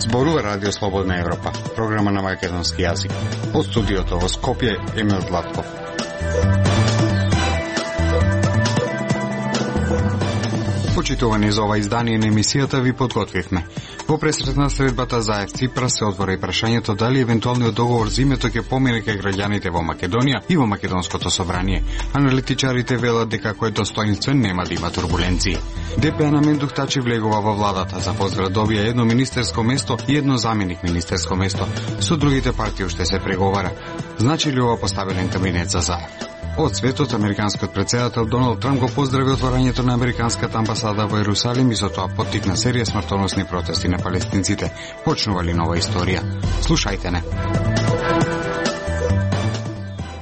Зборува Радио Слободна Европа, програма на македонски јазик. Од студиото во Скопје, Емил Златков. Почитувани за ова издание на емисијата ви подготвивме. Во пресретна средбата за Ципрас се отвора и прашањето дали евентуалниот договор за името ќе помине кај граѓаните во Македонија и во Македонското собрание. Аналитичарите велат дека кој е достоинствен нема да има турбуленции. ДП на Мендух Тачи влегува во владата, за поздрав добија едно министерско место и едно заменик министерско место. Со другите партии уште се преговара. Значи ли ова поставилен кабинет за Заев? Од светот, американскиот председател Доналд Трамп го поздрави отворањето на американската амбасада во Ерусалим и со тоа поттикна серија смртоносни протести на палестинците. Почнува ли нова историја? Слушајте не.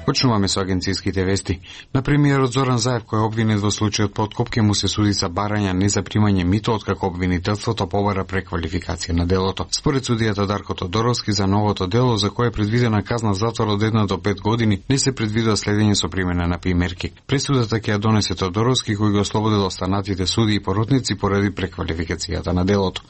Почнуваме со агенцијските вести. На премиерот Зоран Заев, кој е обвинет во случајот подкоп, ќе му се суди за барање не за примање мито, откако обвинителството побара преквалификација на делото. Според судијата Дарко Тодоровски, за новото дело, за кое е предвидена казна затвор од 1 до 5 години, не се предвидува следење со примена на примерки. Пресудата ќе ја донесе Тодоровски, кој го ослободил останатите суди и поротници поради преквалификацијата на делото.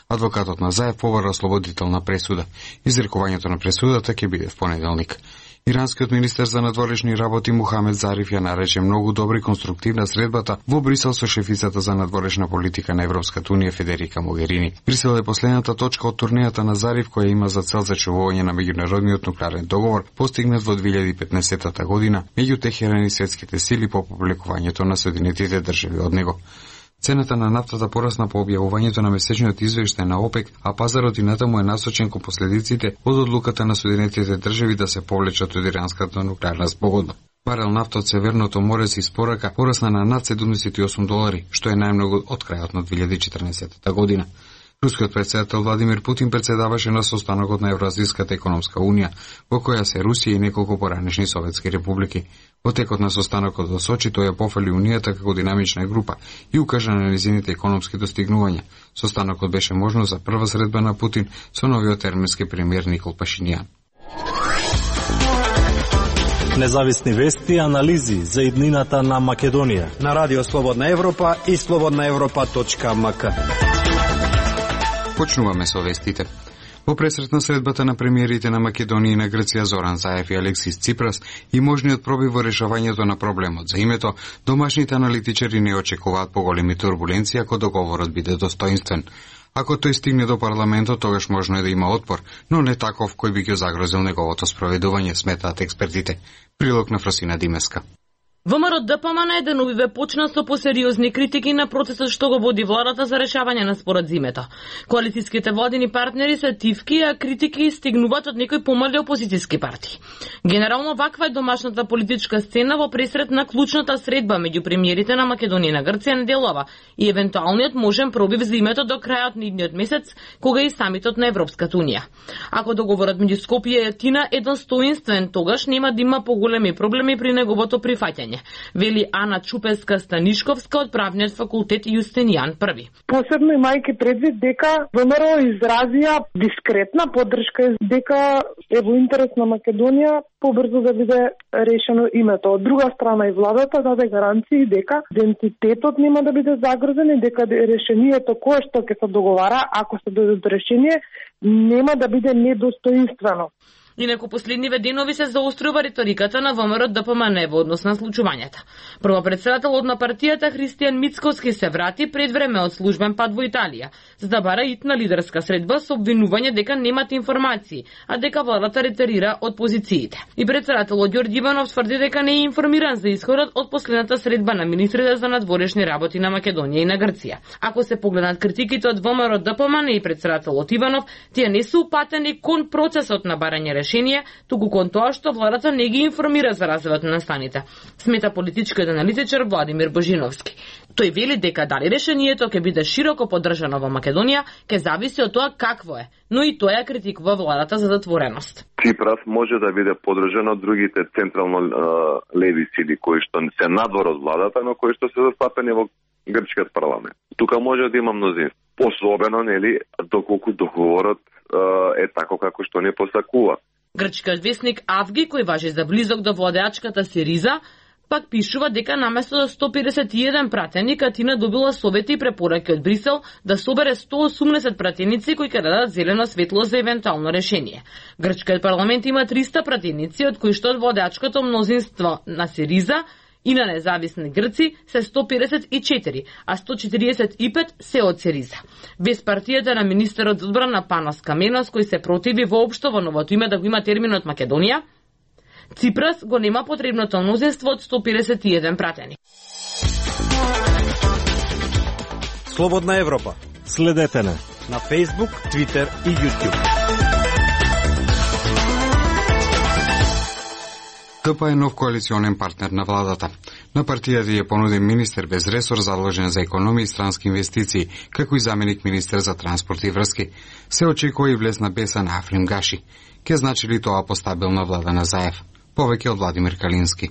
Адвокатот на Заев побара ослободителна пресуда. Изрекувањето на пресудата ќе биде в понеделник. Иранскиот министер за надворешни работи Мухамед Зариф ја нарече многу добри конструктивна средбата во Брисел со шефицата за надворешна политика на Европската унија Федерика Могерини. Брисел е последната точка од турнејата на Зариф, која има за цел зачувување на меѓународниот нуклеарен договор постигнат во 2015 година меѓу Техеран и светските сили по публикувањето на Соединетите држави од него. Цената на нафтата порасна по објавувањето на месечниот извештај на ОПЕК, а пазарот и натаму е насочен кон последиците од одлуката на Соединетите држави да се повлечат од иранската нуклеарна спогодба. Барел нафта од Северното море се испорака порасна на над $78, што е најмногу од крајот на 2014 година. Рускиот председател Владимир Путин председаваше на состанокот на Евроазијската економска унија, во која се Русија и неколку поранешни советски републики. Во текот на состанокот во Сочи тој ја пофали унијата како динамична група и укажа на нејзините економски достигнувања. Состанокот беше можност за прва средба на Путин со новиот арменски премиер Никол Пашињан. Независни вести и анализи за иднината на Македонија на Радио Слободна Европа и slobodnaevropa.mk. Почнуваме со вестите. Во пресретна средбата на премиерите на Македонија и на Грција Зоран Заев и Алексис Ципрас и можниот пробив во решавањето на проблемот за името, домашните аналитичари не очекуваат поголеми турбуленции ако договорот биде достоинствен. Ако тој стигне до парламентот, тогаш можно е да има отпор, но не таков кој би ќе загрозил неговото спроведување, сметаат експертите. Прилог на Фросина Димеска. ВМРО ДПМН деновиве почна со посериозни критики на процесот што го води владата за решавање на спорот зимето. Коалицијските владини партнери се тивки, а критики стигнуваат од некои помали опозицијски партии. Генерално ваква е домашната политичка сцена во пресрет на клучната средба меѓу премиерите на Македонија и на Грција неделова и евентуалниот можен пробив за името до крајот на идниот месец, кога и самитот на Европската унија. Ако договорот меѓу Скопје и Атина е достоинствен, тогаш нема да има поголеми проблеми при неговото прифаќање, вели Ана Чупевска-Станишковска од правниот факултет Јустинијан I. Посебно имајќи предвид дека ВМРО изразија дискретна поддршка дека е во интерес на Македонија побрзо да биде решено името. Од друга страна и владата даде гаранции дека идентитетот нема да биде загрозен и дека решението кое што ќе се договара, ако се дојде до решение, нема да биде недостоинствено. Инаку последниве денови се заострува риториката на ВМРО ДПМН во однос на случувањата. Првопредседателот на партијата Христијан Мицкоски се врати пред време од службен пат во Италија, за да бара итна лидерска средба со обвинување дека немат информации, а дека владата ретерира од позициите. И председателот Ѓорѓи Иванов тврди дека не е информиран за исходот од последната средба на министрите за надворешни работи на Македонија и на Грција. Ако се погледнат критиките од ВМРО ДПМН и председателот Иванов, тие не се упатени кон процесот на барање решение, туку кон тоа што владата не ги информира за развојот на настаните, смета политичкиот аналитичар Владимир Божиновски. Тој вели дека дали решението ќе биде широко поддржано во Македонија, ќе зависи од тоа какво е, но и тоа ја критикува владата за затвореност. Ципрас може да биде поддржан од другите централно леви сили кои што се надвор од владата, но кои што се застапени во грчкиот парламент. Тука може да има мнозинство. Особено, нели, доколку договорот е тако како што не посакува. Грчкиот весник Авги, кој важи за близок до владеачката Сириза, пак пишува дека наместо 151 пратени, Атина добила совети и препораки од Брисел да собере 180 пратеници кои ќе дадат зелено светло за евентуално решение. Грчкиот парламент има 300 пратеници, од кои што од водачкото мнозинство на Сириза и на независни грци се 154, а 145 се од Сириза. Без партијата на министерот за одбрана Панос Каменос, кој се противи воопшто во новото име да го има терминот Македонија, Ципрас го нема потребното мнозинство од 151 пратени. Слободна Европа. Следете на Facebook, Twitter и YouTube. ДП е нов коалиционен партнер на владата. На партијата ја понуден министер без ресор задолжен за економија и странски инвестиции, како и заменик министер за транспорт и врски. Се очекува и влезна беса на Африм Гаши. Ке значи ли тоа постабилна влада на Заев? Повеќе од Владимир Калински.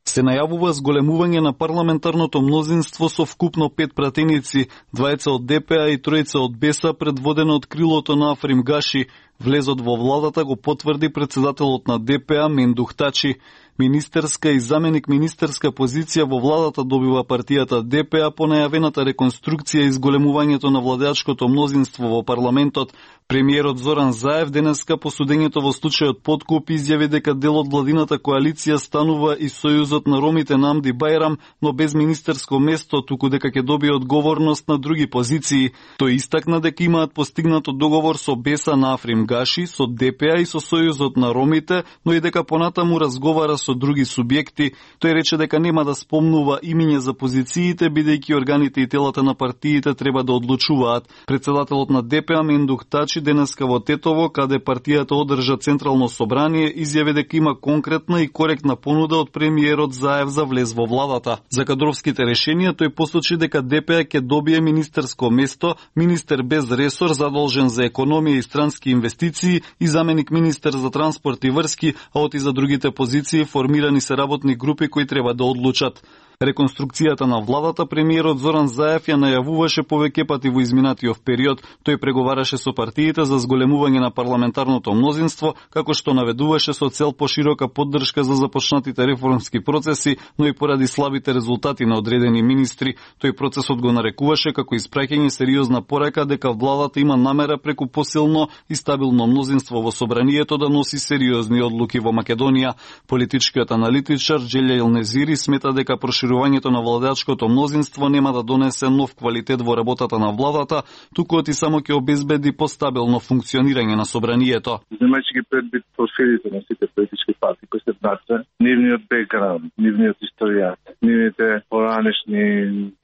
Се најавува зголемување на парламентарното мнозинство со вкупно 5 пратеници, 2 од ДПА и 3 од БЕСА, предводено од крилото на Африм Гаши. Влезот во владата го потврди председателот на ДПА Мендух Тачи. Министерска и заменик министерска позиција во владата добива партијата ДПА по најавената реконструкција и зголемувањето на владеачкото мнозинство во парламентот. Премиерот Зоран Заев денеска по судењето во случајот Подкуп изјави дека дел од владината коалиција станува и Сојузот на ромите на Амди Бајрам, но без министерско место, туку дека ќе добие одговорност на други позиции. Тој истакна дека имаат постигнато договор со БЕСА на Африм Гаши, со ДПА и со Сојузот на ромите, но и дека понатаму разговара со други субјекти. Тој рече дека нема да спомнува имиња за позициите, бидејќи органите и телата на партиите треба да одлучуваат. Председателот на ДПА Мендух Тачи денеска во Тетово, каде партијата одржа централно собрание, изјави дека има конкретна и коректна понуда од премиерот Заев за влез во владата. За кадровските решенија тој посочи дека ДПА ќе добие министерско место, министер без ресор задолжен за економија и странски инвестиции и заменик министер за транспорт и врски, а оти за другите позиции формирани се работни групи кои треба да одлучат. Реконструкцијата на владата премиерот Зоран Заев ја најавуваше повеќе пати во изминатиот период. Тој преговараше со партиите за зголемување на парламентарното мнозинство, како што наведуваше со цел поширока поддршка за започнатите реформски процеси, но и поради слабите резултати на одредени министри. Тој процесот го нарекуваше како испраќање сериозна порака дека владата има намера преку посилно и стабилно мнозинство во собранието да носи сериозни одлуки во Македонија. Политичкиот аналитичар Джелја Илнезири смета дека проширувањето на владеачкото мнозинство нема да донесе нов квалитет во работата на владата, туку оти само ќе обезбеди постабилно функционирање на собранието. Земајќи ги предвид профилите на сите политички партии кои се внатре, нивниот бекграунд, нивниот историјат, нивните поранешни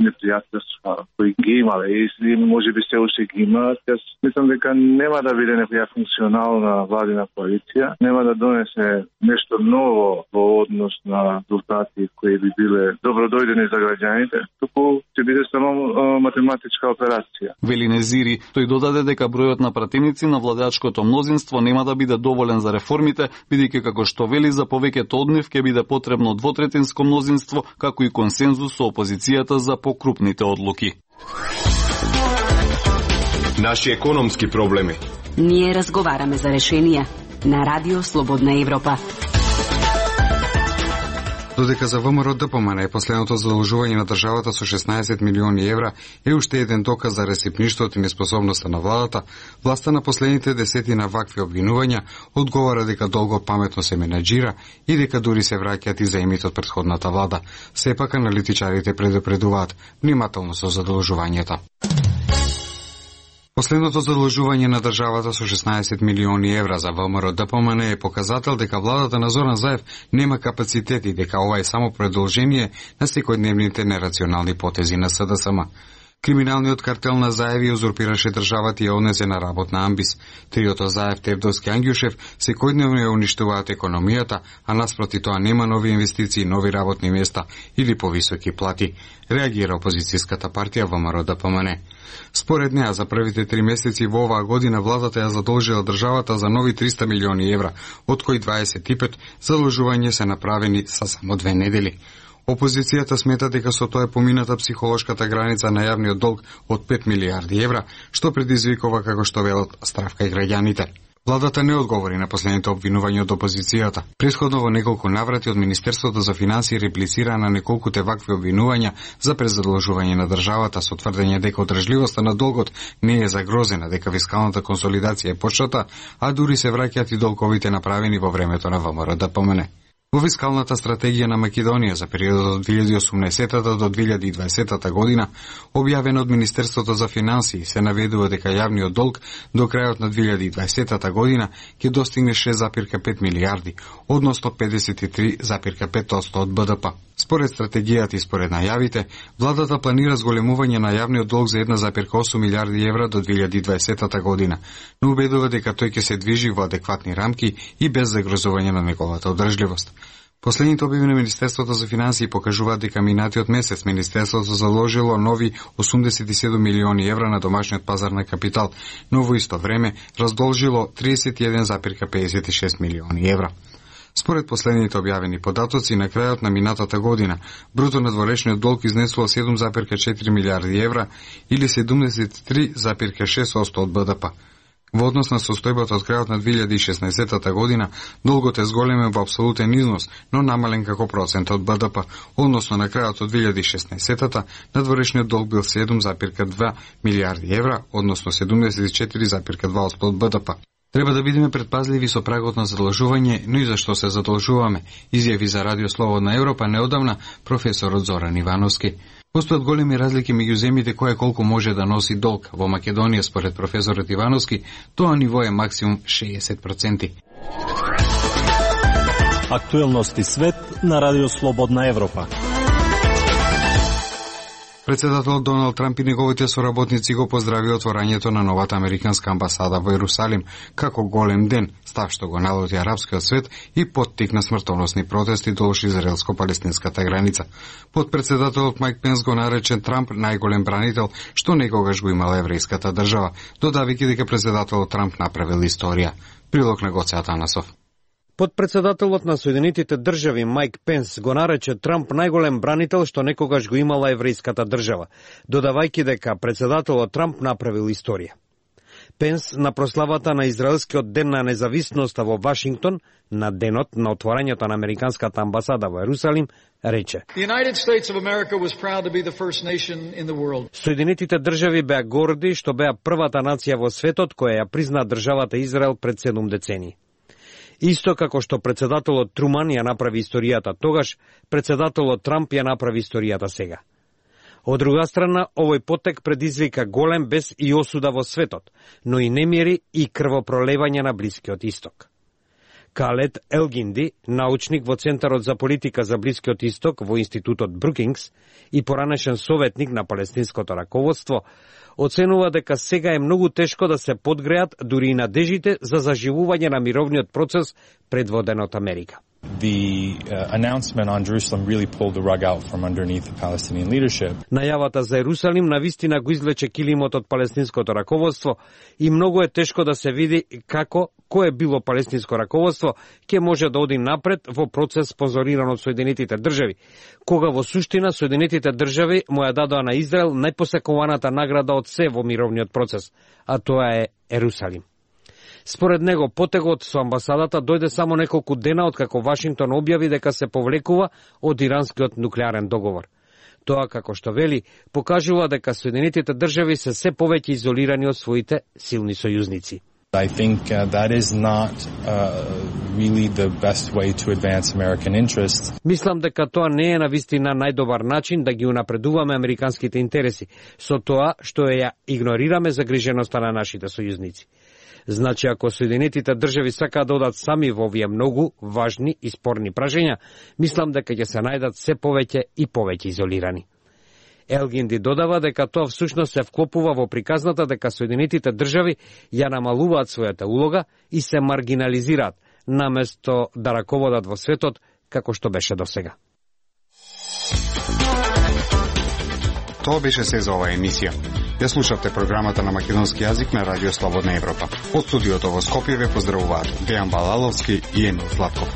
непријателства кои ги имале и можеби се уште ги имаат, јас мислам дека нема да биде некоја функционална владина коалиција, нема да донесе нешто ново во однос на резултати кои би биле добродојдени за граѓаните, туку ќе биде само математичка операција. Вели Незири, тој додаде дека бројот на пратеници на владеачкото мнозинство нема да биде доволен за реформите, бидејќи како што вели за повеќето од нив ќе биде потребно двотретинско мнозинство, како и консензус со опозицијата за покрупните одлуки. Наши економски проблеми. Ние разговараме за решенија на Радио Слободна Европа. Додека за ВМРО ДПМН е последното задолжување на државата со 16 милиони евра е уште еден доказ за ресипништвото и неспособноста на владата, власта на последните десетина вакви обвинувања одговара дека долго паметно се менаџира и дека дури се враќаат и заемите од претходната влада. Сепак аналитичарите предупредуваат внимателно со задолжувањата. Последното задолжување на државата со 16 милиони евра за ВМРО ДПМН е показател дека владата на Зоран Заев нема капацитет и дека ова е само продолжение на секојдневните нерационални потези на СДСМ. Криминалниот картел на Заев ја узурпираше државата и ја однесе на работна амбис. Триото Заев, Тевдовски, Ангјушев секојдневно ја уништуваат економијата, а наспроти тоа нема нови инвестиции, нови работни места или повисоки плати, реагира опозицијската партија ВМРО ДПМН. Според неа, за првите 3 месеци во оваа година владата ја задолжила државата за нови 300 милиони евра, од кои 25 задолжување се направени за само 2 недели. Опозицијата смета дека со тоа е помината психолошката граница на јавниот долг од 5 милиарди евра, што предизвикува, како што велат, страв кај граѓаните. Владата не одговори на последните обвинувања од опозицијата. Претходно во неколку наврати од Министерството за финансии реплицира на неколкуте вакви обвинувања за презадолжување на државата со тврдење дека одржливоста на долгот не е загрозена, дека фискалната консолидација е почната, а дури се враќаат и долговите направени во времето на ВМРО ДПМН. Во фискалната стратегија на Македонија за периодот од 2018 до 2020 година, објавена од Министерството за финансии, се наведува дека јавниот долг до крајот на 2020 година ќе достигне 6,5 милиарди, односно 53,5% од БДП. Според стратегијата и според најавите, владата планира зголемување на јавниот долг за 1,8 милиарди евра до 2020 година, но убедува дека тој ќе се движи во адекватни рамки и без загрозување на неговата одржливост. Последните објави на Министерството за финансии покажуваат дека минатиот месец Министерството заложило нови 87 милиони евра на домашниот пазар на капитал, но во исто време раздолжило 31,56 милиони евра. Според последните објавени податоци, на крајот на минатата година, бруто надворешниот долг изнесува 7,4 милиарди евра или 73,6% од БДП. Во однос на состојбата од крајот на 2016 година, долгот е зголемен во апсолутен износ, но намален како процент од БДП, односно на крајот од 2016 надворешниот долг бил 7,2 милиарди евра, односно 74,2% од БДП. Треба да бидеме предпазливи со прагот на задолжување, но и зашто се задолжуваме, изјави за Радио Слободна Европа неодамна професорот Зоран Ивановски. Постојат големи разлики меѓу земјите која колку може да носи долг. Во Македонија, според професорот Ивановски, тоа ниво е максимум 60%. Актуелности свет на Радио Слободна Европа. Председателот Доналд Трамп и неговите соработници го поздрави отворањето на новата американска амбасада во Ерусалим како голем ден, став што го налоти арапскиот свет и поттикна смртоносни протести долж израелско-палестинската граница. Подпредседателот Майк Пенс го нарече Трамп најголем бранител што некогаш го имала еврејската држава, додавајќи дека председателот Трамп направил историја. Прилог на Гоце Атанасов. Подпредседателот на Соединетите држави Майк Пенс го нарече Трамп најголем бранител што некогаш го имала еврејската држава, додавајќи дека председателот Трамп направил историја. Пенс на прославата на Израелскиот ден на независноста во Вашингтон, на денот на отворањето на американската амбасада во Ерусалим, рече: Соединетите држави беа горди што беа првата нација во светот која ја призна државата Израел пред 7 децении. Исто како што председателот Труман ја направи историјата тогаш, председателот Трамп ја направи историјата сега. Од друга страна, овој потек предизвика голем бес и осуда во светот, но и немири и крвопролевање на Блискиот Исток. Калет Елгинди, научник во Центарот за политика за Блискиот Исток во Институтот Брукингс и поранешен советник на палестинското раководство, оценува дека сега е многу тешко да се подгреат дури и надежите за заживување на мировниот процес предводен од Америка. Announcement on Jerusalem really pulled the rug out from underneath the Palestinian leadership. Најавата за Ерусалим навистина го извлече килимот од палестинското раководство и многу е тешко да се види како кое било палестинско раководство ќе може да оди напред во процес спонзориран од Соединетите држави, кога во суштина Соединетите држави му ја дадоа на Израел најпосекуваната награда од се во мировниот процес, а тоа е Ерусалим. Според него, потегот со амбасадата дојде само неколку дена откако Вашингтон објави дека се повлекува од иранскиот нуклеарен договор. Тоа, како што вели, покажува дека Соединетите држави се се повеќе изолирани од своите силни сојузници. I think that is not really the best way to advance American interests. Мислам дека тоа не е навистина најдобар начин да ги унапредуваме американските интереси, со тоа што ја игнорираме загриженоста на нашите сојузници. Значи, ако Соединетите држави сакаат да одат сами во овие многу важни и спорни прашања, мислам дека ќе се најдат се повеќе и повеќе изолирани. Елгинди додава дека тоа всушност се вклопува во приказната дека Соединетите држави ја намалуваат својата улога и се маргинализираат, наместо да раководат во светот како што беше досега. Тоа беше се за оваа емисија. Ја слушавте програмата на македонски јазик на Радио Слободна Европа. Од студиото во Скопје ве поздравуваат Дејан Балаловски и Емил Златков.